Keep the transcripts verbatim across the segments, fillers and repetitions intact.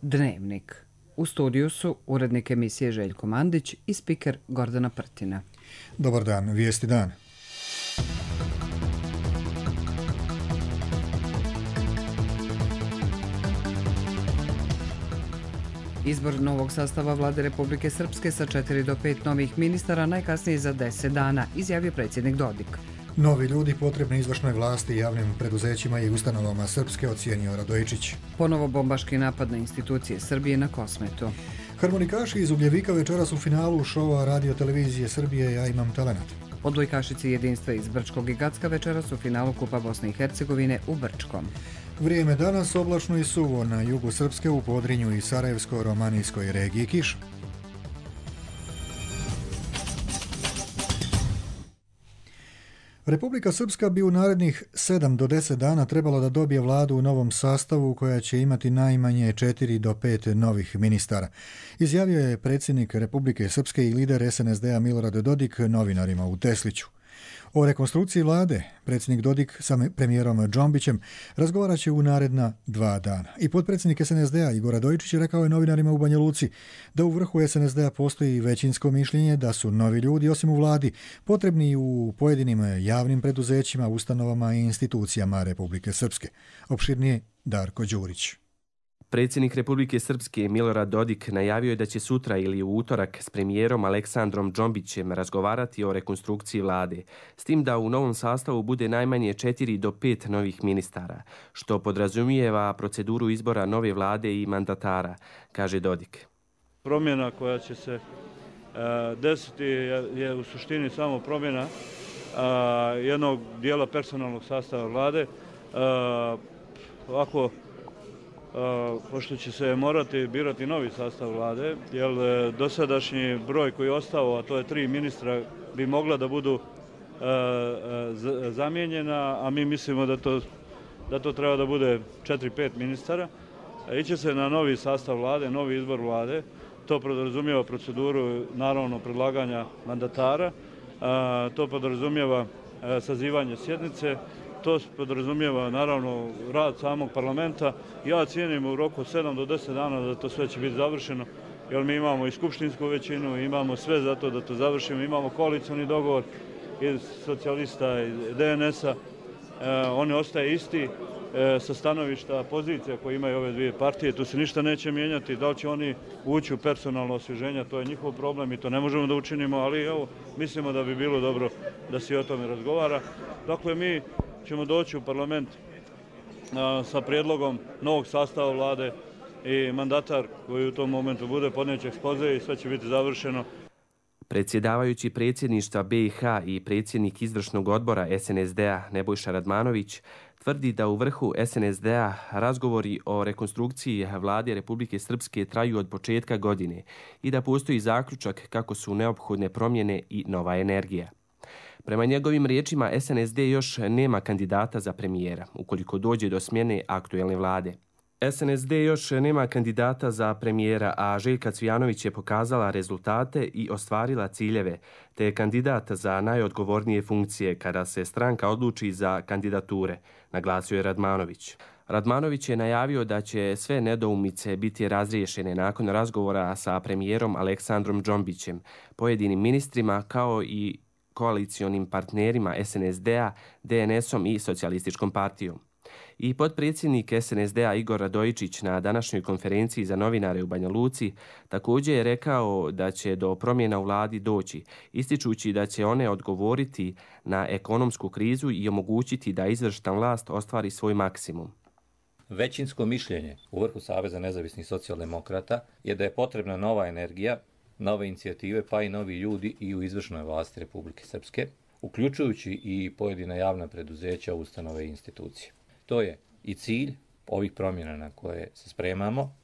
Dnevnik. U studiju su urednik emisije Željko Mandić i spiker Gordana Prtina. Dobar dan, vijesti dan. Izbor novog sastava vlade Republike Srpske sa četiri do pet novih ministara najkasnije za deset dana, izjavio predsjednik Dodik. Novi ljudi potrebni izvršnoj vlasti, javnim preduzećima i ustanovama Srpske, ocijenio Radojičić. Ponovo bombaški napad na institucije Srbije na Kosmetu. Harmonikaši iz Ugljevika večeras u finalu šova Radio televizije Srbije Ja imam talenat. Odbojkašici jedinstva iz Brčkog i Gacka večeras u finalu Kupa Bosne i Hercegovine u Brčkom. Vrijeme danas oblačno i suvo, na jugu Srpske, u Podrinju i Sarajevsko-romanijskoj regiji kiša. Republika Srpska bi u narednih sedam do deset dana trebala da dobije vladu u novom sastavu koja će imati najmanje četiri do pet novih ministara. Izjavio je predsjednik Republike Srpske i lider es en es de a Milorad Dodik novinarima u Tesliću. O rekonstrukciji vlade predsjednik Dodik sa premijerom Džombićem razgovarat će u naredna dva dana. I potpredsjednik es en es de a Igor Radojičić rekao je novinarima u Banja Luci da u vrhu es en es de a postoji većinsko mišljenje da su novi ljudi, osim u vladi, potrebni u pojedinim javnim preduzećima, ustanovama i institucijama Republike Srpske. Opširnije Darko Đurić. Predsjednik Republike Srpske Milorad Dodik najavio je da će sutra ili u utorak s premijerom Aleksandrom Džombićem razgovarati o rekonstrukciji vlade, s tim da u novom sastavu bude najmanje četiri do pet novih ministara, što podrazumijeva proceduru izbora nove vlade i mandatara, kaže Dodik. Promjena koja će se uh, desiti je, je u suštini samo promjena uh, jednog dijela personalnog sastava vlade. Uh, ovako, Uh, pošto će se morati birati novi sastav vlade, jer uh, dosadašnji broj koji je ostao, a to je tri ministra, bi mogla da budu uh, uh, zamijenjena, a mi mislimo da to, da to treba da bude četiri pet ministara. Iće se na novi sastav vlade, novi izbor vlade. To podrazumijeva proceduru, naravno, predlaganja mandatara. Uh, to podrazumijeva uh, sazivanje sjednice. To podrazumijeva, naravno, rad samog parlamenta. Ja cijenim u roku sedam do deset dana da to sve će biti završeno, jer mi imamo i skupštinsku većinu, imamo sve za to da to završimo, imamo koalicioni dogovor iz socijalista i de en es a. E, on ostaje isti e, sa stanovišta pozicija koje imaju ove dvije partije. Tu se ništa neće mijenjati. Da li će oni ući u personalno osvježenje, to je njihov problem i to ne možemo da učinimo, ali evo, mislimo da bi bilo dobro da se o tome razgovara. Dakle, mi ćemo doći u parlament a, sa prijedlogom novog sastava vlade i mandatar koji u tom momentu bude podnijeće ekspoze i sve će biti završeno. Predsjedavajući predsjedništva be i ha i predsjednik izvršnog odbora es en es de a Nebojša Radmanović tvrdi da u vrhu es en es de a razgovori o rekonstrukciji vlade Republike Srpske traju od početka godine i da postoji zaključak kako su neophodne promjene i nova energija. Prema njegovim riječima, es en es de još nema kandidata za premijera, ukoliko dođe do smjene aktuelne vlade. es en es de još nema kandidata za premijera, a Željka Cvijanović je pokazala rezultate i ostvarila ciljeve, te je kandidat za najodgovornije funkcije kada se stranka odluči za kandidature, naglasio je Radmanović. Radmanović je najavio da će sve nedoumice biti razriješene nakon razgovora sa premijerom Aleksandrom Džombićem, pojedinim ministrima kao i koalicionim partnerima es en es de a, de en es om i Socijalističkom partijom. I potpredsjednik es en es de a Igor Radojičić na današnjoj konferenciji za novinare u Banja Luci također je rekao da će do promjena u vladi doći, ističući da će one odgovoriti na ekonomsku krizu i omogućiti da izvršna vlast ostvari svoj maksimum. Većinsko mišljenje u vrhu Saveza nezavisnih socijaldemokrata je da je potrebna nova energija, nove inicijative pa i novi ljudi i u izvršnoj vlasti Republike Srpske, uključujući i pojedina javna preduzeća, ustanove i institucije. To je i cilj ovih promjena na koje se spremamo.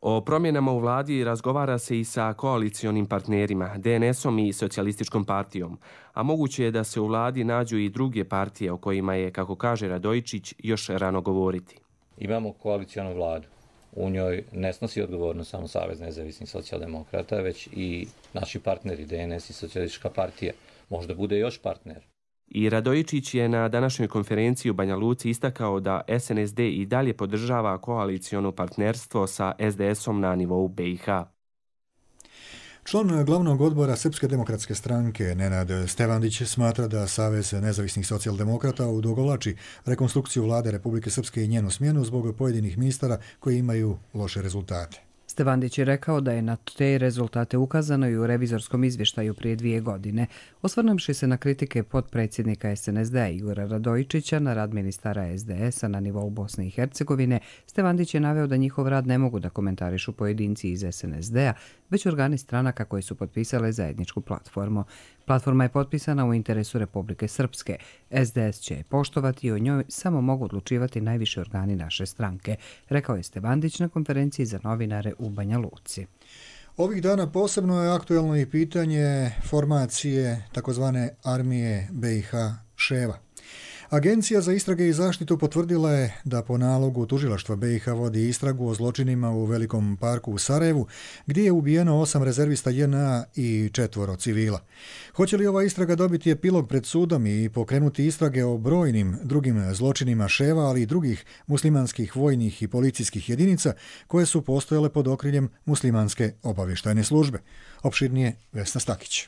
O promjenama u vladi razgovara se i sa koalicionim partnerima, de en es om i Socijalističkom partijom, a moguće je da se u vladi nađu i druge partije o kojima je, kako kaže Radojičić, još rano govoriti. Imamo koalicionu vladu. U njoj ne snosi odgovornost samo Savez nezavisnih socijaldemokrata, već i naši partneri, de en es i Socijalistička partija. Možda bude još partner. I Radojičić je na današnjoj konferenciji u Banja Luci istakao da S N S D i dalje podržava koaliciono partnerstvo sa S D S-om na nivou B i H. Član glavnog odbora Srpske demokratske stranke Nenad Stevandić smatra da Savez nezavisnih socijaldemokrata odugovlači rekonstrukciju vlade Republike Srpske i njenu smjenu zbog pojedinih ministara koji imaju loše rezultate. Stevandić je rekao da je na te rezultate ukazano i u revizorskom izvještaju prije dvije godine. Osvrnuvši se na kritike potpredsjednika S N S D-a Igora Radojičića na rad ministara S D S-a na nivou Bosne i Hercegovine, Stevandić je naveo da njihov rad ne mogu da komentarišu pojedinci iz S N S D-a, već organi stranaka koji su potpisale zajedničku platformu. Platforma je potpisana u interesu Republike Srpske. S D S će je poštovati i o njoj samo mogu odlučivati najviši organi naše stranke, rekao je Stevandić na konferenciji za novinare u Banja Luci. Ovih dana posebno je aktuelno i pitanje formacije takozvane armije B i H Ševa. Agencija za istrage i zaštitu potvrdila je da po nalogu tužilaštva B i H vodi istragu o zločinima u Velikom parku u Sarajevu, gdje je ubijeno osam rezervista J N A i četvoro civila. Hoće li ova istraga dobiti epilog pred sudom i pokrenuti istrage o brojnim drugim zločinima Ševa, ali i drugih muslimanskih vojnih i policijskih jedinica koje su postojale pod okriljem muslimanske obavještajne službe? Opširnije Vesna Stakić.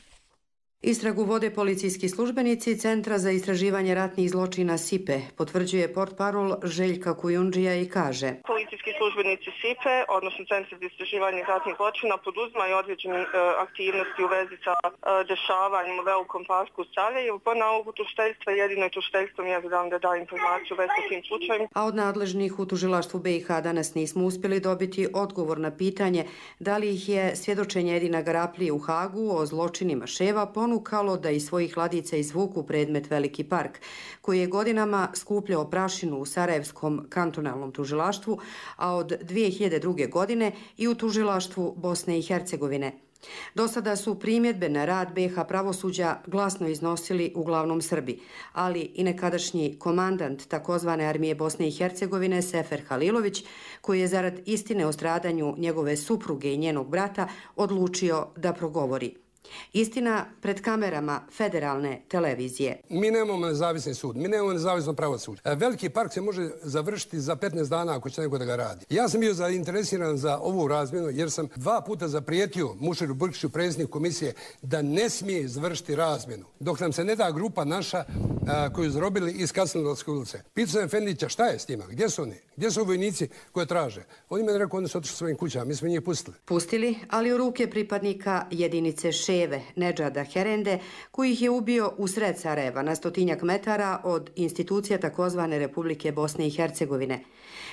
Istragu vode policijski službenici Centra za istraživanje ratnih zločina S I P E, potvrđuje portparol Željka Kujundžija i kaže: Policijski službenici S I P E, odnosno Centra za istraživanje ratnih zločina, poduzimaju određene e, aktivnosti u vezi sa e, dešavanjem u Velikom parku u Sarajevu. Po nalogu tužiteljstva jedino je tužiteljstvo mjerodavno da da informaciju u vezi sa tim slučajem. A od nadležnih u tužilaštvu B i H danas nismo uspjeli dobiti odgovor na pitanje da li ih je svjedočenje Edina Garaplije u Hagu o zločinima Ševa ponukalo da iz svojih ladica izvuku predmet Veliki park, koji je godinama skupljao prašinu u Sarajevskom kantonalnom tužilaštvu, a od dvije hiljade druge. godine i u tužilaštvu Bosne i Hercegovine. Do sada su primjedbe na rad B i H pravosuđa glasno iznosili uglavnom Srbi, ali i nekadašnji komandant takozvane armije Bosne i Hercegovine Sefer Halilović, koji je zarad istine o stradanju njegove supruge i njenog brata odlučio da progovori. Istina pred kamerama federalne televizije. Mi nemamo nezavisni sud, mi nemamo nezavisno pravosuđe. Veliki park se može završiti za petnaest dana ako će neko da ga radi. Ja sam bio zainteresiran za ovu razmjenu jer sam dva puta zaprijetio Muširu Brkiću, predsjedniku komisije, da ne smije završiti razmjenu dok nam se ne da grupa naša a, koju zarobili iz Kasnodolske ulice. Pitao sam Efendića šta je s njima, gdje su oni, gdje su vojnici koje traže. Oni meni rekao, oni su otišli svojim kućama, mi smo njih pustili. Pustili, ali u ruke pripadnika jedinice Ševe, Nedžada Herende, koji ih je ubio u sred Sarajeva na stotinjak metara od institucija takozvane Republike Bosne i Hercegovine.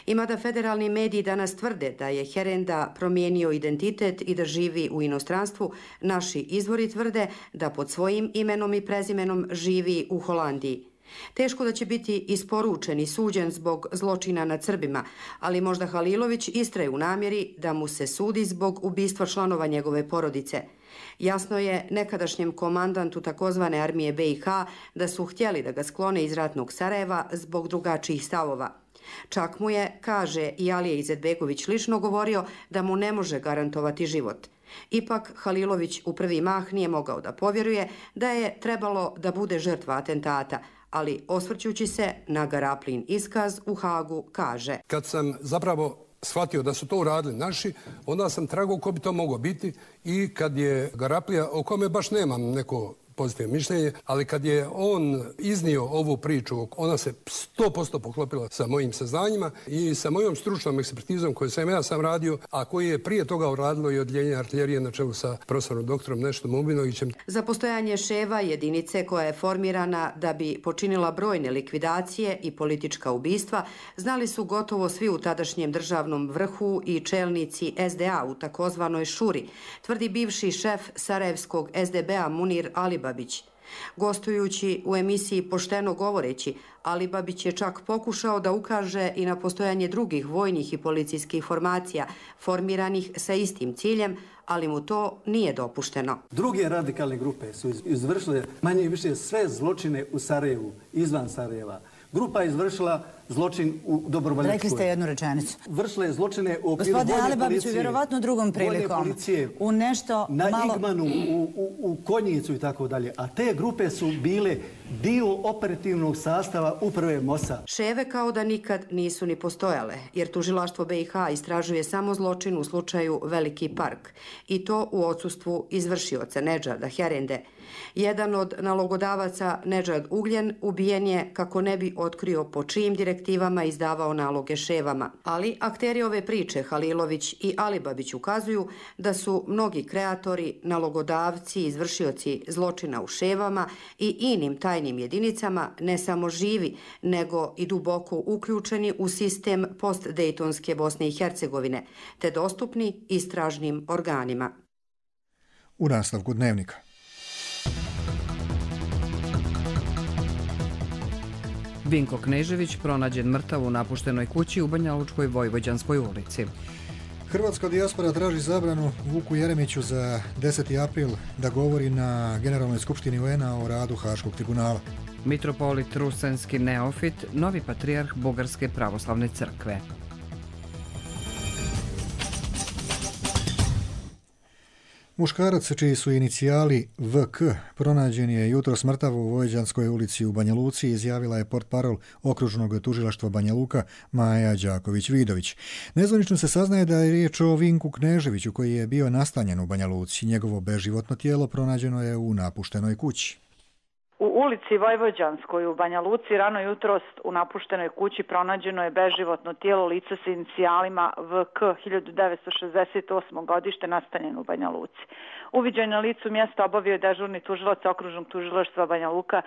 I mada federalni mediji danas tvrde da je Herenda promijenio identitet i da živi u inostranstvu, naši izvori tvrde da pod svojim imenom i prezimenom živi u Holandiji. Teško da će biti isporučen i suđen zbog zločina nad Srbima, ali možda Halilović istraje u namjeri da mu se sudi zbog ubistva članova njegove porodice. Jasno je nekadašnjem komandantu takozvane armije B i H da su htjeli da ga sklone iz ratnog Sarajeva zbog drugačijih stavova. Čak mu je, kaže i Alija Izetbegović, lično govorio da mu ne može garantovati život. Ipak Halilović u prvi mah nije mogao da povjeruje da je trebalo da bude žrtva atentata, ali osvrćući se na Garaplin iskaz u Hagu kaže: Kad sam zapravo shvatio da su to uradili naši, onda sam tragao ko bi to moglo biti i kad je Garaplija, o kome baš nemam neko pozitivno mišljenje, ali kad je on iznio ovu priču, ona se sto posto poklopila sa mojim saznanjima i sa mojom stručnom ekspertizom koju sam ja sam radio, a koji je prije toga uradilo i odjeljenje artiljerije na čelu sa profesorom doktorom Neštom Ubinovićem. Za postojanje Ševa, jedinice koja je formirana da bi počinila brojne likvidacije i politička ubistva, znali su gotovo svi u tadašnjem državnom vrhu i čelnici S D A u takozvanoj Šuri, tvrdi bivši šef Sarajevskog S D B-a Munir Alibabić. Gostujući u emisiji Pošteno govoreći, Alibabić je čak pokušao da ukaže i na postojanje drugih vojnih i policijskih formacija formiranih sa istim ciljem, ali mu to nije dopušteno. Druge radikalne grupe su izvršile manje i više sve zločine u Sarajevu, izvan Sarajeva. Grupa je izvršila zločin u Dobrovoljačkoj. Rekli ste jednu rečenicu. Vršila je zločine u okviru vojne policije. Gospodine Alibabiću, vjerovatno drugom prilikom. U nešto na malo... Igmanu, u, u, u Konjicu i tako dalje. A te grupe su bile dio operativnog sastava uprave MOSA. Ševe kao da nikad nisu ni postojale, jer tužilaštvo B i H istražuje samo zločin u slučaju Veliki park. I to u odsustvu izvršioca Nedžada Herende. Jedan od nalogodavaca, Nedžad Ugljen, ubijen je kako ne bi otkrio po čijim direktivama izdavao naloge ševama. Ali akteri ove priče, Halilović i Alibabić, ukazuju da su mnogi kreatori, nalogodavci, izvršioci zločina u ševama i inim tajnim jedinicama ne samo živi, nego i duboko uključeni u sistem postdejtonske Bosne i Hercegovine, te dostupni istražnim organima. U nastavku Dnevnika. Vinko Knežević pronađen mrtav u napuštenoj kući u Banja Lučkoj Vojvođanskoj ulici. Hrvatska dijaspora traži zabranu Vuku Jeremiću za deseti april da govori na Generalnoj skupštini U N-a o radu Haškog tribunala. Mitropolit Rusenski neofit, novi patrijarh Bugarske pravoslavne crkve. Muškarac čiji su inicijali V K pronađen je jutros mrtav u Vojvođanskoj ulici u Banja Luci, izjavila je portparol okružnog tužilaštva Banja Luka Maja Đaković-Vidović. Nezvanično se saznaje da je riječ o Vinku Kneževiću koji je bio nastanjen u Banja Luci. Njegovo beživotno tijelo pronađeno je u napuštenoj kući. U ulici Vojvođanskoj u Banja Luci rano jutros u napuštenoj kući pronađeno je beživotno tijelo lica sa inicijalima V K hiljadu devetsto šezdeset osme. godište, nastanjen u Banja Luci. Uviđaj na licu mjesta obavio je dežurni tužilac okružnog tužilaštva Banja Luka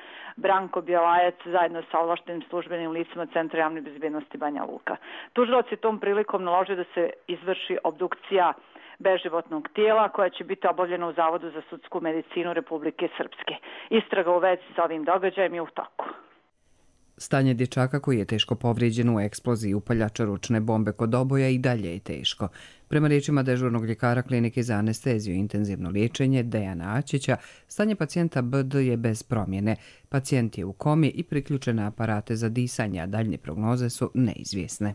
Branko Bjelajac zajedno sa ovlaštenim službenim licima Centra javne bezbjednosti Banja Luka. Tužilac je tom prilikom naložio da se izvrši obdukcija beživotnog tijela koja će biti obavljena u Zavodu za sudsku medicinu Republike Srpske. Istraga u vezi sa ovim događajem je u toku. Stanje dječaka koji je teško povrijeđen u eksploziji upaljača ručne bombe kod oboja i dalje je teško. Prema riječima dežurnog ljekara klinike za anesteziju i intenzivno liječenje Dejana Ačića, stanje pacijenta B D je bez promjene. Pacijent je u komi i priključen na aparate za disanje, a daljnje prognoze su neizvjesne.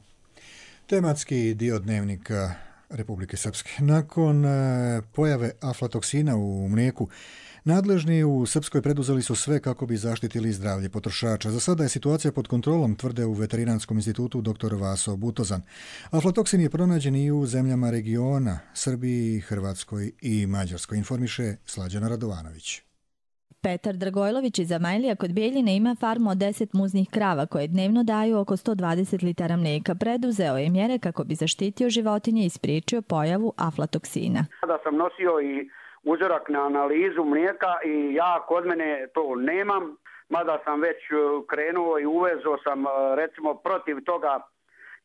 Tematski dio Dnevnika Republike Srpske. Nakon pojave aflatoksina u mlijeku, nadležni u Srpskoj preduzeli su sve kako bi zaštitili zdravlje potrošača. Za sada je situacija pod kontrolom, tvrde u Veterinarskom institutu dr Vaso Butozan. Aflatoksin je pronađen i u zemljama regiona, Srbiji, Hrvatskoj i Mađarskoj, informiše Slađana Radovanović. Petar Dragojlović iz Amajlija kod Bijeljine ima farmu od deset muznih krava koje dnevno daju oko sto dvadeset litara mlijeka. Preduzeo je mjere kako bi zaštitio životinje i spriječio pojavu aflatoksina. Da sam nosio i uzorak na analizu mlijeka i ja kod mene to nemam, mada sam već krenuo i uvezo sam recimo protiv toga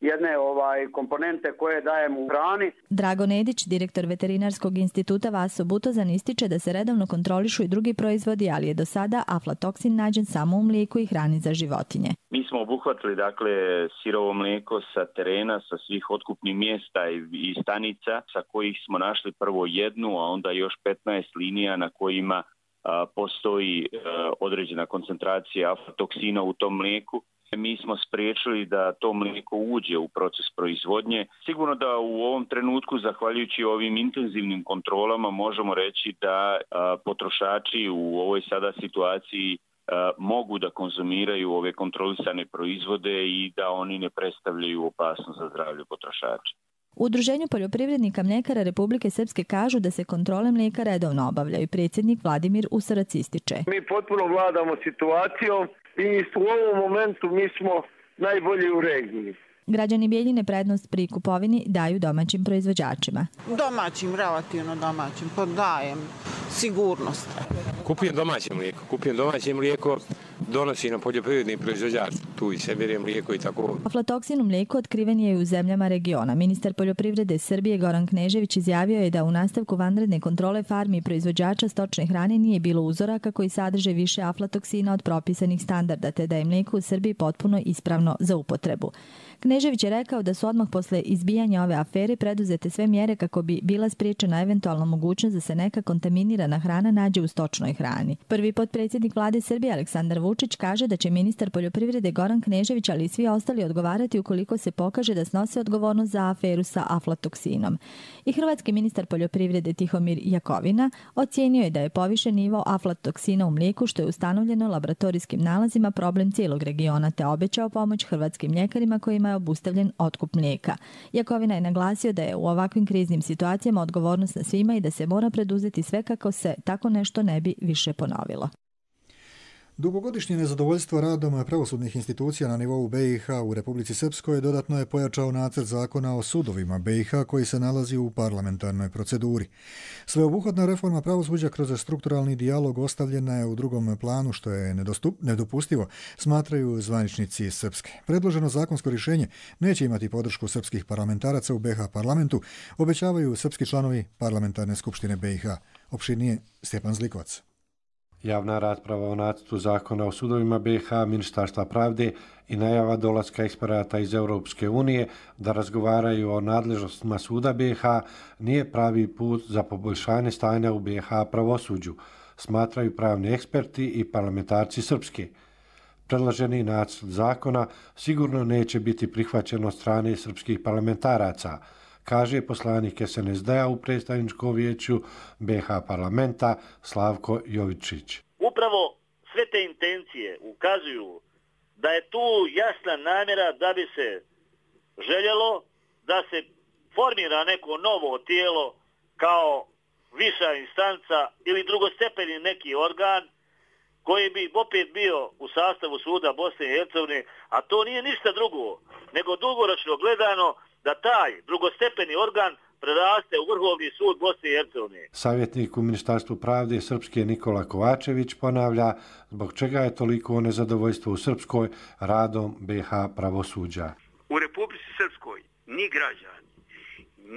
jedne ovaj komponente koje dajem u hrani. Drago Nedić, direktor Veterinarskog instituta Vaso Butozan, ističe da se redovno kontrolišu i drugi proizvodi, ali je do sada aflatoksin nađen samo u mlijeku i hrani za životinje. Mi smo obuhvatili dakle sirovo mlijeko sa terena, sa svih otkupnih mjesta i, i stanica sa kojih smo našli prvo jednu, a onda još petnaest linija na kojima a, postoji a, određena koncentracija aflatoksina u tom mlijeku. Mi smo spriječili da to mlijeko uđe u proces proizvodnje. Sigurno da u ovom trenutku, zahvaljujući ovim intenzivnim kontrolama, možemo reći da a, potrošači u ovoj sada situaciji a, mogu da konzumiraju ove kontrolisane proizvode i da oni ne predstavljaju opasnost za zdravlje potrošača. U Udruženju poljoprivrednika mljekara Republike Srpske kažu da se kontrole mlijeka redovno obavljaju. Predsjednik Vladimir Usarac ističe. Mi potpuno vladamo situacijom i u ovom momentu mi smo najbolji u regiji. Građani Bijeljine prednost pri kupovini daju domaćim proizvođačima. Domaćim, relativno domaćim, podajem sigurnost. Kupujem domaće mlijeko, kupujem domaće mlijeko, donosi na poljoprivredni proizvođač, tu i se bere mlijeko i tako. Aflatoksin u mlijeku otkriven je i u zemljama regiona. Ministar poljoprivrede Srbije Goran Knežević izjavio je da u nastavku vanredne kontrole farmi i proizvođača stočne hrane nije bilo uzoraka koji sadrže više aflatoksina od propisanih standarda, te da je mlijeko u Srbiji potpuno ispravno za upotrebu. Knežević je rekao da su odmah posle izbijanja ove afere preduzete sve mjere kako bi bila spriječena eventualna mogućnost da se neka kontaminirana hrana nađe u stočnoj hrani. Prvi potpredsjednik vlade Srbije Aleksandar Vučić kaže da će ministar poljoprivrede Goran Knežević, ali i svi ostali odgovarati ukoliko se pokaže da snose odgovornost za aferu sa aflatoksinom. I hrvatski ministar poljoprivrede Tihomir Jakovina ocijenio je da je povišen nivo aflatoksina u mlijeku, što je ustanovljeno laboratorijskim nalazima, problem cijelog regiona, te obećao pomoć hrvatskim mljekarima kojima je obustavljen otkup mlijeka. Jakovina je naglasio da je u ovakvim kriznim situacijama odgovornost na svima i da se mora preduzeti sve kako se tako nešto ne bi više ponovilo. Dugogodišnje nezadovoljstvo radom pravosudnih institucija na nivou B i H u Republici Srpskoj dodatno je pojačao nacrt zakona o sudovima B i H koji se nalazi u parlamentarnoj proceduri. Sveobuhvatna reforma pravosuđa kroz strukturalni dijalog ostavljena je u drugom planu, što je nedostup, nedopustivo, smatraju zvaničnici Srpske. Predloženo zakonsko rješenje neće imati podršku srpskih parlamentaraca u B H parlamentu, obećavaju srpski članovi parlamentarne skupštine B i H. Opširnije Stjepan Zlikovac. Javna rasprava o nacrtu zakona o sudovima B i H, Ministarstva pravde i najava dolaska eksperata iz Europske unije da razgovaraju o nadležnostima suda B i H nije pravi put za poboljšanje stanja u B i H pravosuđu, smatraju pravni eksperti i parlamentarci Srpske. Predloženi nacrt zakona sigurno neće biti prihvaćen od strane srpskih parlamentaraca, kaže poslanik S N S D-a u predstavničkom vijeću B i H parlamenta Slavko Jovičić. Upravo sve te intencije ukazuju da je tu jasna namjera da bi se željelo da se formira neko novo tijelo kao viša instanca ili drugostepeni neki organ koji bi opet bio u sastavu suda Bosne i Hercegovine, a to nije ništa drugo nego dugoročno gledano da taj drugostepeni organ preraste u Vrhovni sud Bosne i Hercegovine. Savjetnik u Ministarstvu pravde Srpske Nikola Kovačević ponavlja zbog čega je toliko nezadovoljstvo u Srpskoj radom B i H pravosuđa. U Republici Srpskoj ni građani,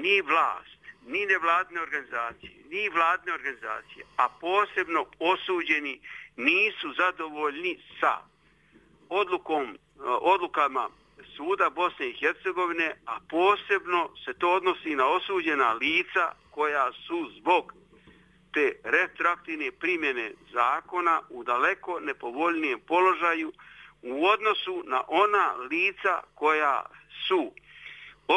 ni vlast, ni nevladne organizacije, ni vladne organizacije, a posebno osuđeni nisu zadovoljni sa odlukom, odlukama suda Bosne i Hercegovine, a posebno se to odnosi na osuđena lica koja su zbog te retroaktivne primjene zakona u daleko nepovoljnijem položaju u odnosu na ona lica koja su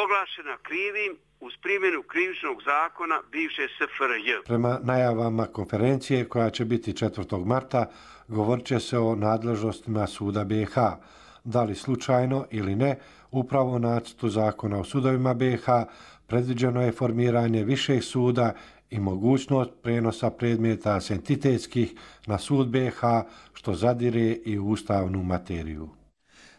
oglašena krivim uz primjenu krivičnog zakona bivše S F R J. Prema najavama konferencije koja će biti četvrtog marta, govorit će se o nadležnostima suda B i H. Da li slučajno ili ne, upravo u nacrtu zakona o sudovima B i H predviđeno je formiranje višeg suda i mogućnost prenosa predmeta s entitetskih na sud B i H, što zadire i u ustavnu materiju.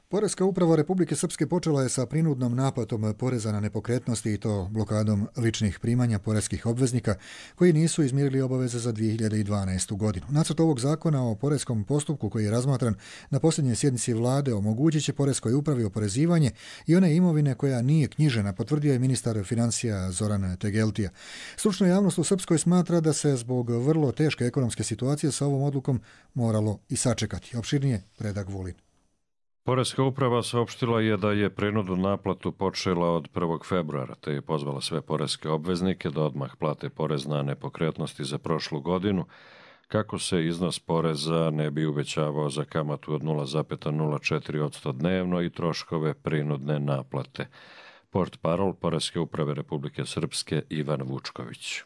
Poreska uprava Republike Srpske počela je sa prinudnom naplatom poreza na nepokretnosti i to blokadom ličnih primanja poreskih obveznika koji nisu izmirili obaveze za dvije hiljade dvanaestu. godinu. Nacrt ovog zakona o poreskom postupku koji je razmatran na posljednjoj sjednici vlade omogućit će poreskoj upravi oporezivanje i one imovine koja nije knjižena, potvrdio je ministar financija Zoran Tegeltija. Stručna javnost u Srpskoj smatra da se zbog vrlo teške ekonomske situacije sa ovom odlukom moralo i sačekati. Opširnije Predrag Vulin. Poreska uprava saopštila je da je prinudnu naplatu počela od prvog februara, te je pozvala sve poreske obveznike da odmah plate porez na nepokretnosti za prošlu godinu, kako se iznos poreza ne bi uvećavao za kamatu od nula zarez nula četiri posto dnevno i troškove prinudne naplate. Portparol Poreske uprave Republike Srpske Ivan Vučković.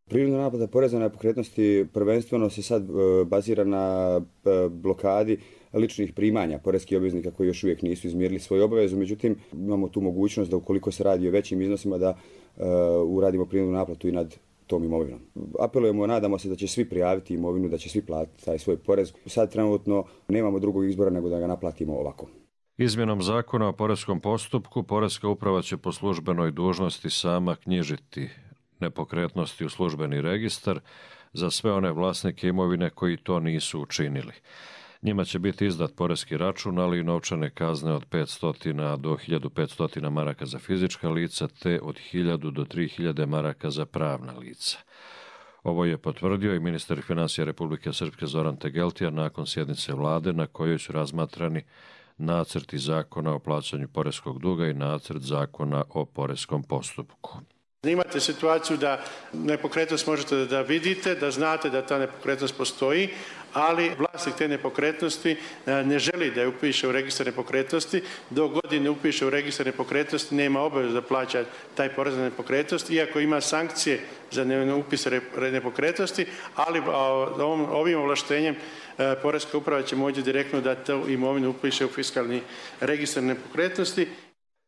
Prinudna naplata poreza na nepokretnosti prvenstveno se sad bazira na blokadi ličnih primanja poreskih obveznika koji još uvijek nisu izmirili svoju obavezu, međutim imamo tu mogućnost da ukoliko se radi o većim iznosima da uh, uradimo prinudnu naplatu i nad tom imovinom. Apelujemo, nadamo se da će svi prijaviti imovinu, da će svi platiti taj svoj porez. Sad trenutno nemamo drugog izbora nego da ga naplatimo ovako. Izmjenom zakona o poreskom postupku, Poreska uprava će po službenoj dužnosti sama knjižiti nepokretnosti u službeni registar za sve one vlasnike imovine koji to nisu učinili. Njima će biti izdat poreski račun, ali i novčane kazne od petsto do hiljadu petsto maraka za fizička lica, te od hiljadu do tri hiljade maraka za pravna lica. Ovo je potvrdio i ministar financija Republike Srpske Zoran Tegeltija nakon sjednice vlade na kojoj su razmatrani nacrti zakona o plaćanju poreskog duga i nacrt zakona o poreskom postupku. Imate situaciju da nepokretnost možete da vidite, da znate da ta nepokretnost postoji, ali vlasnik te nepokretnosti ne želi da je upiše u registar nepokretnosti. Dok god ne upiše u registar nepokretnosti nema obavezu da plaća taj porez na nepokretnost, iako ima sankcije za neupis nepokretnosti, ali ovim ovlaštenjem Poreska uprava će moći direktno da tu imovinu upiše u fiskalni registar nepokretnosti.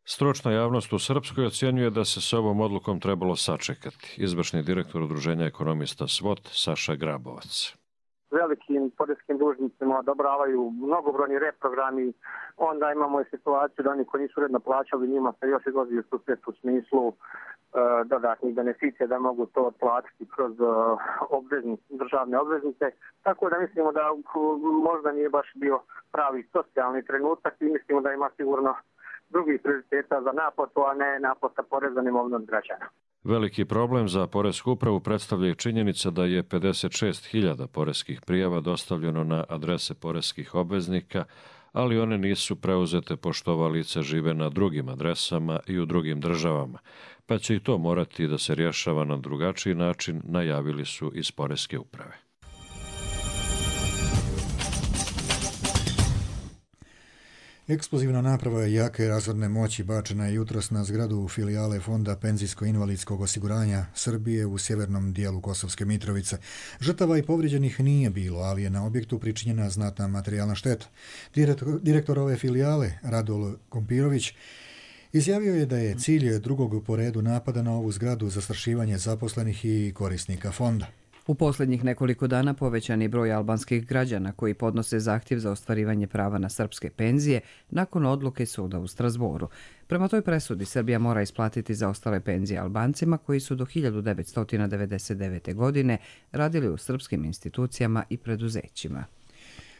Stručna javnost u Srpskoj ocjenjuje da se s ovom odlukom trebalo sačekati. Izvršni direktor Udruženja ekonomista SWOT Saša Grabovac. Velikim poreskim dužnicima odobravaju mnogobrojni reprogrami, onda imamo i situaciju da oni koji nisu uredno plaćali, njima se još izlazi u susret u smislu uh, dodatnih beneficija da mogu to otplatiti kroz uh, obvezni, državne obveznice. Tako da mislimo da uh, možda nije baš bio pravi socijalni trenutak i mislimo da ima sigurno drugih prioriteta za naplatu, a ne naplata poreza na imovinu od građana. Veliki problem za Poresku upravu predstavlja i činjenica da je pedeset šest hiljada poreskih prijava dostavljeno na adrese poreskih obveznika, ali one nisu preuzete pošto ova lica žive na drugim adresama i u drugim državama, pa će i to morati da se rješava na drugačiji način, najavili su iz Poreske uprave. Eksplozivna naprava jake razorne moći bačena je jutros na zgradu filijale Fonda penzijsko-invalidskog osiguranja Srbije u sjevernom dijelu Kosovske Mitrovice. Žrtava i povrijeđenih nije bilo, ali je na objektu pričinjena znatna materijalna šteta. Direktor, direktor ove filijale, Radul Kompirović, izjavio je da je cilj drugog po redu napada na ovu zgradu zastrašivanje zaposlenih i korisnika fonda. U posljednjih nekoliko dana povećan je broj albanskih građana koji podnose zahtjev za ostvarivanje prava na srpske penzije nakon odluke suda u Strasboru. Prema toj presudi Srbija mora isplatiti zaostale penzije Albancima koji su do hiljadu devetsto devedeset devete. godine radili u srpskim institucijama i preduzećima.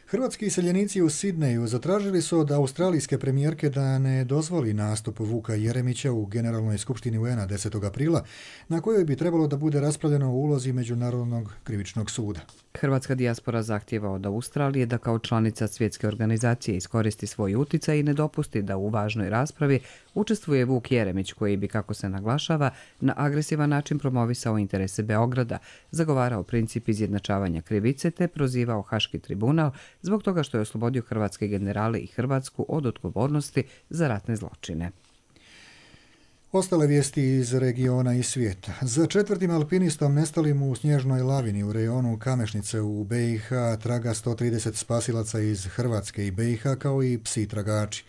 Hrvatski iseljenici u Sidneju zatražili su od australijske premijerke da ne dozvoli nastup Vuka Jeremića u Generalnoj skupštini U N A desetog aprila, na kojoj bi trebalo da bude raspravljeno o ulozi Međunarodnog krivičnog suda. Hrvatska dijaspora zahtijeva od Australije da kao članica svjetske organizacije iskoristi svoj uticaj i ne dopusti da u važnoj raspravi učestvuje Vuk Jeremić koji bi, kako se naglašava, na agresivan način promovisao interese Beograda, zagovarao princip izjednačavanja krivice te prozivao Haški tribunal zbog toga što je oslobodio hrvatske generale i Hrvatsku od odgovornosti za ratne zločine. Ostale vijesti iz regiona i svijeta. Za četvrtim alpinistom nestalim u snježnoj lavini u rejonu Kamešnice u B i H traga sto trideset spasilaca iz Hrvatske i B i H kao i psi tragači.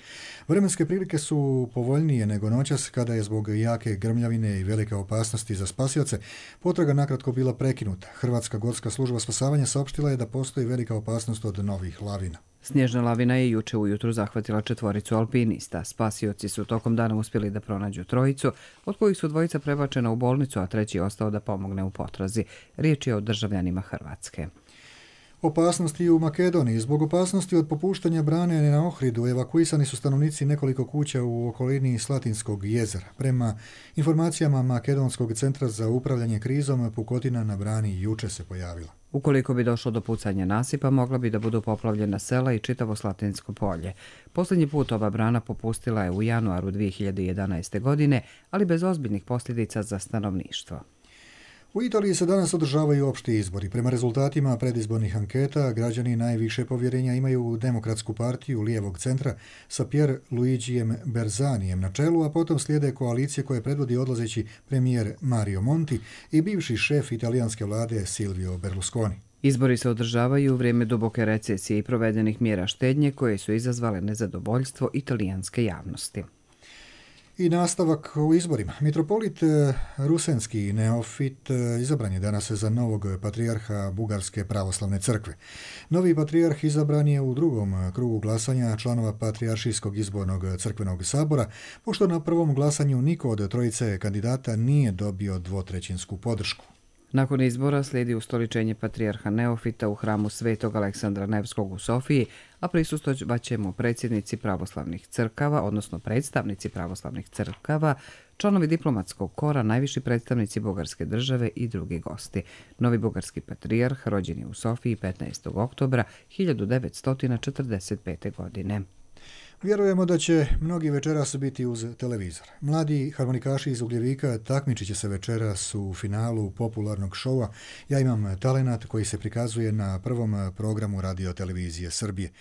Vremenske prilike su povoljnije nego noćas kada je zbog jake grmljavine i velike opasnosti za spasioce potraga nakratko bila prekinuta. Hrvatska gorska služba spasavanja saopštila je da postoji velika opasnost od novih lavina. Snježna lavina je juče ujutru zahvatila četvoricu alpinista. Spasioci su tokom dana uspjeli da pronađu trojicu, od kojih su dvojica prebačena u bolnicu, a treći je ostao da pomogne u potrazi. Riječ je o državljanima Hrvatske. Opasnosti u Makedoniji. Zbog opasnosti od popuštanja brane na Ohridu evakuisani su stanovnici nekoliko kuća u okolini Slatinskog jezera. Prema informacijama Makedonskog centra za upravljanje krizom, pukotina na brani juče se pojavila. Ukoliko bi došlo do pucanja nasipa, mogla bi da budu poplavljena sela i čitavo Slatinsko polje. Posljednji put ova brana popustila je u januaru dvije hiljade jedanaeste. godine, ali bez ozbiljnih posljedica za stanovništvo. U Italiji se danas održavaju opšti izbori. Prema rezultatima predizbornih anketa, građani najviše povjerenja imaju u Demokratsku partiju lijevog centra sa Pier Luigijem Berzanijem na čelu, a potom slijede koalicije koje predvodi odlazeći premijer Mario Monti i bivši šef italijanske vlade Silvio Berlusconi. Izbori se održavaju u vrijeme duboke recesije i provedenih mjera štednje koje su izazvale nezadovoljstvo italijanske javnosti. I nastavak u izborima. Mitropolit Rusenski Neofit izabran je danas za novog patrijarha Bugarske pravoslavne crkve. Novi patrijarh izabran je u drugom krugu glasanja članova Patrijaršijskog izbornog crkvenog sabora, pošto na prvom glasanju niko od trojice kandidata nije dobio dvotrećinsku podršku. Nakon izbora slijedi ustoličenje patrijarha Neofita u hramu Svetog Aleksandra Nevskog u Sofiji, a prisustovat će mu predsjednici pravoslavnih crkava, odnosno predstavnici pravoslavnih crkava, članovi diplomatskog kora, najviši predstavnici bugarske države i drugi gosti. Novi bugarski patrijarh rođen je u Sofiji petnaestog oktobra hiljadu devetsto četrdeset pete. godine. Vjerujemo da će mnogi večeras biti uz televizor. Mladi harmonikaši iz Ugljevika takmičit će se večeras u finalu popularnog šova Ja imam talenat koji se prikazuje na prvom programu Radio televizije Srbije.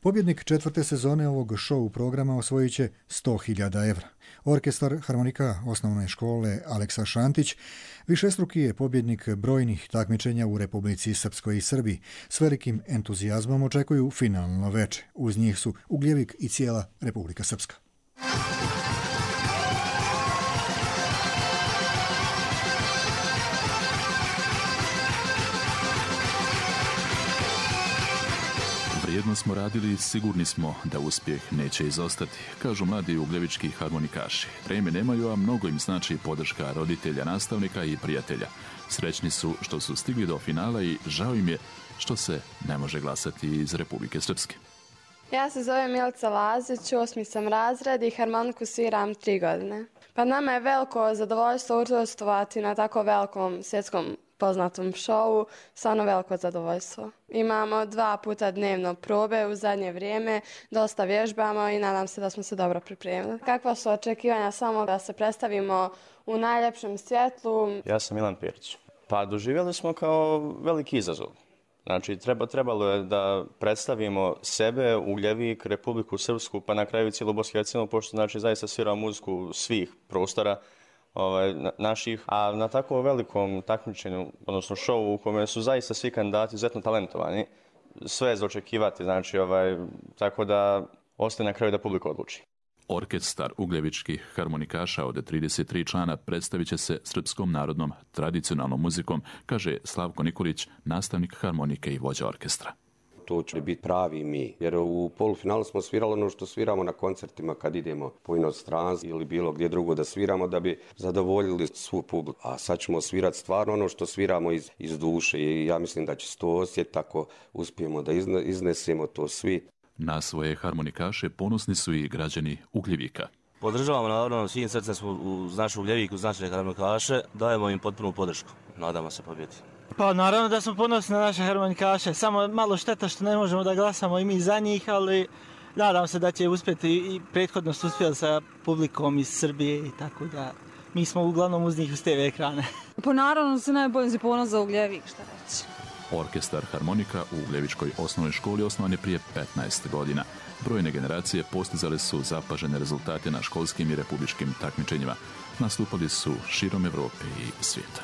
Pobjednik četvrte sezone ovog šou programa osvojit će sto hiljada evra. Orkestar harmonika osnovne škole Aleksa Šantić višestruki je pobjednik brojnih takmičenja u Republici Srpskoj i Srbiji. S velikim entuzijazmom očekuju finalno veče. Uz njih su Ugljevik i cijela Republika Srpska. Vrijedno smo radili i sigurni smo da uspjeh neće izostati, kažu mladi ugljevički harmonikaši. Treme nemaju, a mnogo im znači podrška roditelja, nastavnika i prijatelja. Srećni su što su stigli do finala i žao im je što se ne može glasati iz Republike Srpske. Ja se zovem Milica Lazić, osmi sam razred i harmoniku sviram tri godine. Pa nama je veliko zadovoljstvo učestvovati na tako velikom svjetskom poznatom šovu, stvarno veliko zadovoljstvo. Imamo dva puta dnevno probe u zadnje vrijeme, dosta vježbamo i nadam se da smo se dobro pripremili. Kakva su očekivanja samo da se predstavimo u najljepšem svjetlu? Ja sam Milan Pjerić. Pa doživjeli smo kao veliki izazov. Znači, treba, trebalo je da predstavimo sebe, Ugljevik, Republiku Srpsku, pa na kraju cijelu Bosnu i Hercegovinu, pošto znači zaista sviramo muziku svih prostora ovaj, na, naših. A na tako velikom takmičenju, odnosno šovu u kome su zaista svi kandidati izuzetno talentovani, sve je za očekivati, znači, ovaj, tako da ostaje na kraju da publika odluči. Orkestar ugljevičkih harmonikaša od trideset tri člana predstavit će se srpskom narodnom tradicionalnom muzikom, kaže Slavko Nikolić, nastavnik harmonike i vođa orkestra. To će biti pravi mi, jer u polufinalu smo svirali ono što sviramo na koncertima kad idemo po inostranstvu ili bilo gdje drugo da sviramo da bi zadovoljili svu publiku. A sad ćemo svirati stvarno ono što sviramo iz, iz duše i ja mislim da će se to osjetiti tako uspijemo da izne, iznesemo to svi. Na svoje harmonikaše ponosni su i građani Ugljevika. Podržavamo naravno svim srcem smo uz našu Ugljevik, uz naše harmonikaše, dajemo im potpunu podršku. Nadamo se pobjedi. Pa naravno da smo ponosni na naše harmonikaše, samo malo šteta što ne možemo da glasamo i mi za njih, ali nadam se da će uspjeti i prethodno su uspjeli sa publikom iz Srbije i tako da mi smo uglavnom uz njih uz te ekrane. Pa naravno se najbolje se ponos za Ugljevik, šta reći. Orkestar harmonika u Ugljevičkoj osnovnoj školi osnovan je prije petnaest godina. Brojne generacije postizale su zapažene rezultate na školskim i republičkim takmičenjima. Nastupali su širom Evrope i svijeta.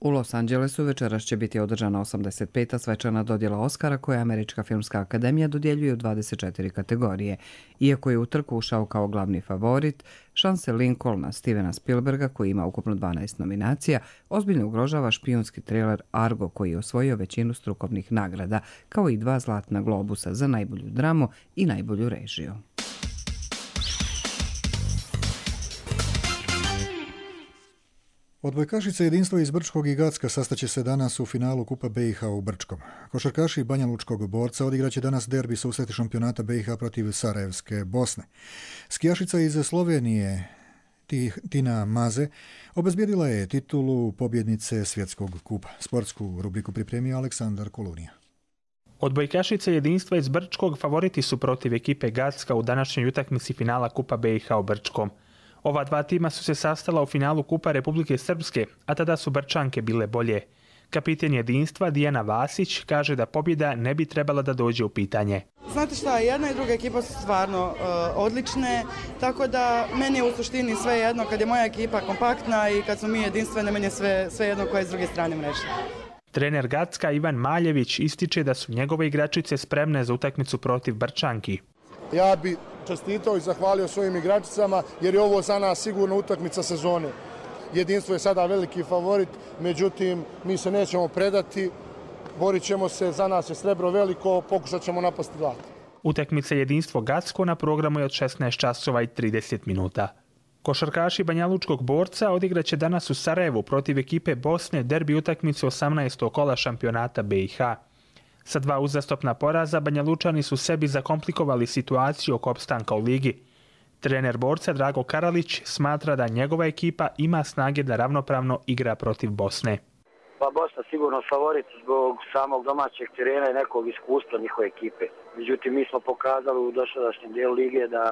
U Los Angelesu večeras će biti održana osamdeset peta svečana dodjela Oskara koje Američka filmska akademija dodjeljuje u dvadeset četiri kategorije. Iako je u trku ušao kao glavni favorit, šanse Lincolna Stevena Spielberga, koji ima ukupno dvanaest nominacija, ozbiljno ugrožava špijunski triler Argo, koji je osvojio većinu strukovnih nagrada, kao i dva zlatna globusa za najbolju dramu i najbolju režiju. Odbojkašice Jedinstvo iz Brčkog i Gacka sastaće se danas u finalu Kupa B i H u Brčkom. Košarkaši Banja Lučkog Borca odigraće danas derbi susreti šampionata B i H protiv Sarajevske Bosne. Skijašica iz Slovenije Tina Maze obezbijedila je titulu pobjednice Svjetskog kupa. Sportsku rubriku pripremio Aleksandar Kolunija. Odbojkašice Jedinstva iz Brčkog favoriti su protiv ekipe Gacka u današnjoj utakmici finala Kupa B i H u Brčkom. Ova dva tima su se sastala u finalu Kupa Republike Srpske, a tada su Brčanke bile bolje. Kapiten Jedinstva Dijana Vasić kaže da pobjeda ne bi trebala da dođe u pitanje. Znate šta, jedna i druga ekipa su stvarno uh, odlične, tako da meni je u suštini sve jedno kad je moja ekipa kompaktna i kad smo mi jedinstvene, meni je sve, sve jedno koja je s druge strane mreže. Trener Gacka Ivan Maljević ističe da su njegove igračice spremne za utakmicu protiv Brčanki. Ja bi čestitao i zahvalio svojim igračicama jer je ovo za nas sigurno utakmica sezone. Jedinstvo je sada veliki favorit, međutim mi se nećemo predati, borit ćemo se, za nas je srebro veliko, pokušat ćemo napasti zlato. Utakmica Jedinstvo Gacko na programu je od šesnaest časova i trideset minuta. Košarkaši Banja Lučkog Borca odigraće danas u Sarajevu protiv ekipe Bosne derbi utakmicu osamnaestog kola šampionata B i H. Sa dva uzastopna poraza Banja Lučani su sebi zakomplikovali situaciju oko opstanka u ligi. Trener Borca Drago Karalić smatra da njegova ekipa ima snage da ravnopravno igra protiv Bosne. Pa Bosna sigurno favorit zbog samog domaćeg terena i nekog iskustva njihove ekipe. Međutim, mi smo pokazali u dosadašnjem dijelu lige da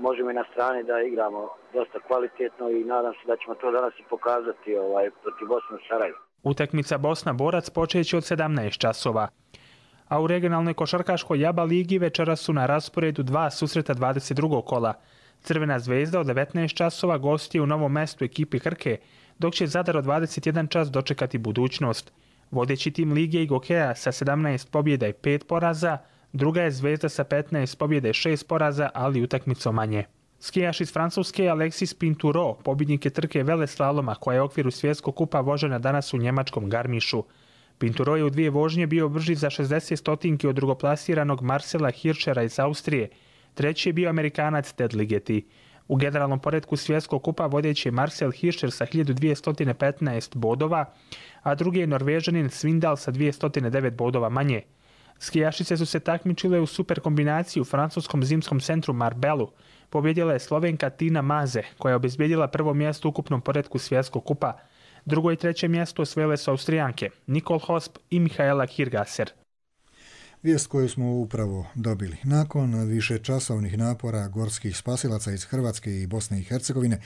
možemo i na strani da igramo dosta kvalitetno i nadam se da ćemo to danas i pokazati ovaj, protiv Bosne u Sarajevu. Utakmica Bosna-Borac počeće od sedamnaest časova. A u regionalnoj košarkaškoj Jaba ligi večeras su na rasporedu dva susreta dvadeset drugog kola. Crvena zvezda od devetnaest časova gostuje u Novom Mestu ekipi Krke, dok će Zadar od dvadeset jedan čas dočekati Budućnost. Vodeći tim lige i Gokeja sa sedamnaest pobjeda i pet poraza, druga je Zvezda sa petnaest pobjeda i šest poraza, ali utakmicom manje. Skijaš iz Francuske Alexis Pinturo, pobjednik je trke veleslaloma koja je u okviru svjetskog kupa vožena danas u njemačkom Garmišu. Pinturo je u dvije vožnje bio brži za šezdeset stotinki od drugoplasiranog Marcela Hirschera iz Austrije. Treći je bio Amerikanac Ted Ligeti. U generalnom poretku svjetskog kupa vodeći je Marcel Hirscher sa hiljadu dvjesto petnaest bodova, a drugi je Norvežanin Svindal sa dvjesto devet bodova manje. Skijašice su se takmičile u super kombinaciji u francuskom zimskom centru Marbelu. Pobjedila je Slovenka Tina Maze, koja je obezbijedila prvo mjesto u ukupnom poretku svjetskog kupa. Drugo i treće mjesto osvojile su Austrijanke Nicole Hosp i Mihaela Hirgasser. Vijest koju smo upravo dobili. Nakon višečasovnih napora gorskih spasilaca iz Hrvatske i Bosne i Hercegovine,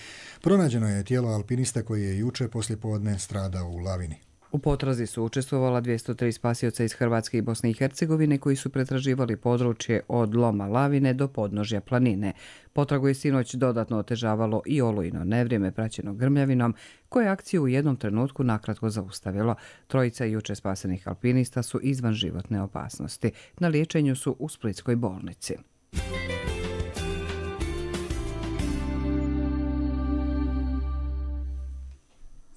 pronađeno je tijelo alpinista koji je juče poslijepodne stradao u lavini. U potrazi su učestvovala dvjesto tri spasioca iz Hrvatske i Bosne i Hercegovine koji su pretraživali područje od loma lavine do podnožja planine. Potragu je sinoć dodatno otežavalo i olujno nevrijeme praćeno grmljavinom, koje je akciju u jednom trenutku nakratko zaustavilo. Trojica juče spasenih alpinista su izvan životne opasnosti. Na liječenju su u Splitskoj bolnici.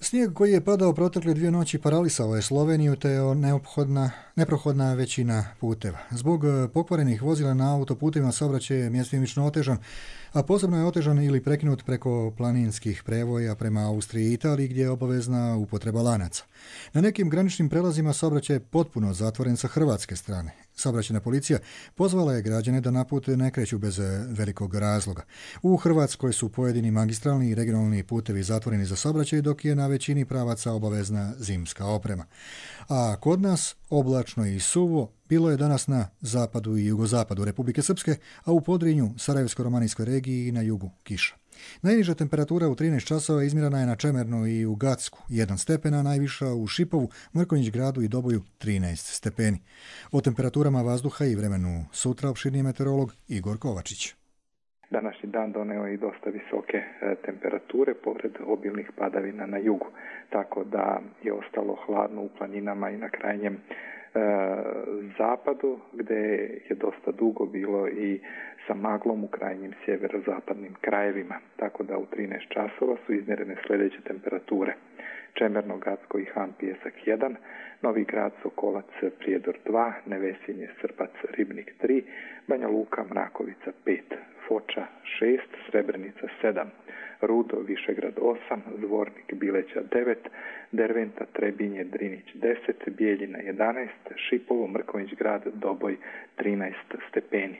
Snijeg koji je padao protekle dvije noći paralisao je Sloveniju te je neophodna, neprohodna većina puteva. Zbog pokvarenih vozila na autoputima saobraćaj je mjestimično otežan, a posebno je otežan ili prekinut preko planinskih prevoja prema Austriji i Italiji gdje je obavezna upotreba lanaca. Na nekim graničnim prelazima saobraćaj je potpuno zatvoren sa hrvatske strane. Saobraćajna policija pozvala je građane da na put ne kreću bez velikog razloga. U Hrvatskoj su pojedini magistralni i regionalni putevi zatvoreni za saobraćaj, dok je na većini pravaca obavezna zimska oprema. A kod nas oblačno i suvo bilo je danas na zapadu i jugozapadu Republike Srpske, a u Podrinju, Sarajevsko-romanijskoj regiji i na jugu kiša. Najniža temperatura u trinaest časova izmjerena je na Čemernu i u Gacku, jedan stepena, najviša u Šipovu, Mrkonjić gradu i Doboju trinaest stepeni. O temperaturama vazduha i vremenu sutra opširniji meteorolog Igor Kovačić. Današnji dan doneo i dosta visoke temperature pored obilnih padavina na jugu, tako da je ostalo hladno u planinama i na krajnjem e, zapadu, gdje je dosta dugo bilo i sa maglom u krajnjim sjeverozapadnim krajevima, tako da u trinaest časova su izmjerene sljedeće temperature. Čemerno, Gacko i Han Pijesak jedan, Novi Grad, Sokolac, Prijedor dva, Nevesinje, Srbac, Ribnik tri, Banja Luka, Mrakovica pet, Foča šest, Srebrenica sedam, Rudo, Višegrad osam, Zvornik, Bileća devet, Derventa, Trebinje, Drinić deset, Bijeljina jedanaest, Šipovo, Mrkonjić grad, Doboj trinaest stepeni.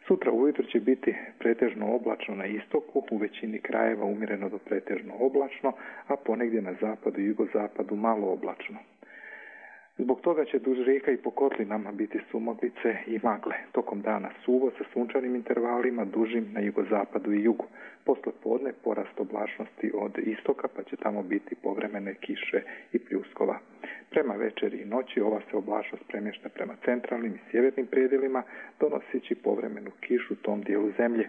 Sutra ujutro će biti pretežno oblačno na istoku, u većini krajeva umjereno do pretežno oblačno, a ponegdje na zapadu i jugozapadu malo oblačno. Zbog toga će duž rijeka i po kotlinama biti sumaglice i magle. Tokom dana suvo sa sunčanim intervalima dužim na jugozapadu i jugu. Posle podne porast oblačnosti od istoka pa će tamo biti povremene kiše i pljuskova. Prema večeri i noći ova se oblačnost premješta prema centralnim i sjevernim predjelima, donoseći povremenu kišu u tom dijelu zemlje.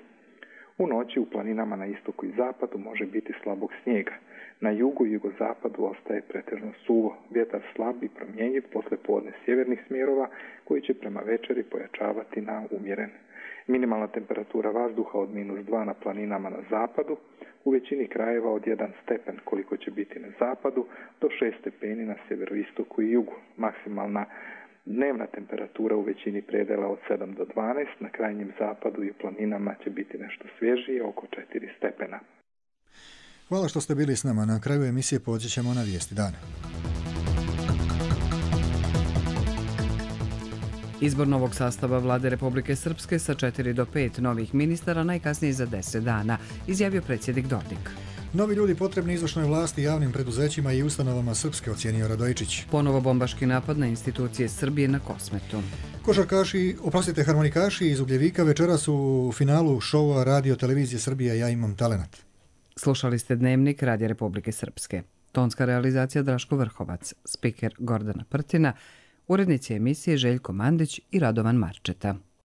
U noći u planinama na istoku i zapadu može biti slabog snijega. Na jugu i jugozapadu ostaje pretežno suvo, vjetar slab i promjenjiv posle podne sjevernih smjerova koji će prema večeri pojačavati na umjeren. Minimalna temperatura vazduha od minus dva na planinama na zapadu, u većini krajeva od jedan stepen koliko će biti na zapadu do šest stepeni na sjeveroistoku i jugu. Maksimalna dnevna temperatura u većini predela od sedam do dvanaest, na krajnjem zapadu i u planinama će biti nešto svježije, oko četiri stepena. Hvala što ste bili s nama. Na kraju emisije podsjećamo na vijesti dana. Izbor novog sastava vlade Republike Srpske sa četiri do pet novih ministara najkasnije za deset dana, izjavio predsjednik Dodik. Novi ljudi potrebni izvršnoj vlasti, javnim preduzećima i ustanovama srpske, ocijenio Radojičić. Ponovo bombaški napad na institucije Srbije na Kosmetu. Košarkaši, oprostite, harmonikaši iz Ugljevika večeras u finalu šova Radio Televizije Srbije Ja imam talenat. Slušali ste Dnevnik Radija Republike Srpske. Tonska realizacija Draško Vrhovac, spiker Gordana Prtina, urednici emisije Željko Mandić i Radovan Marčeta.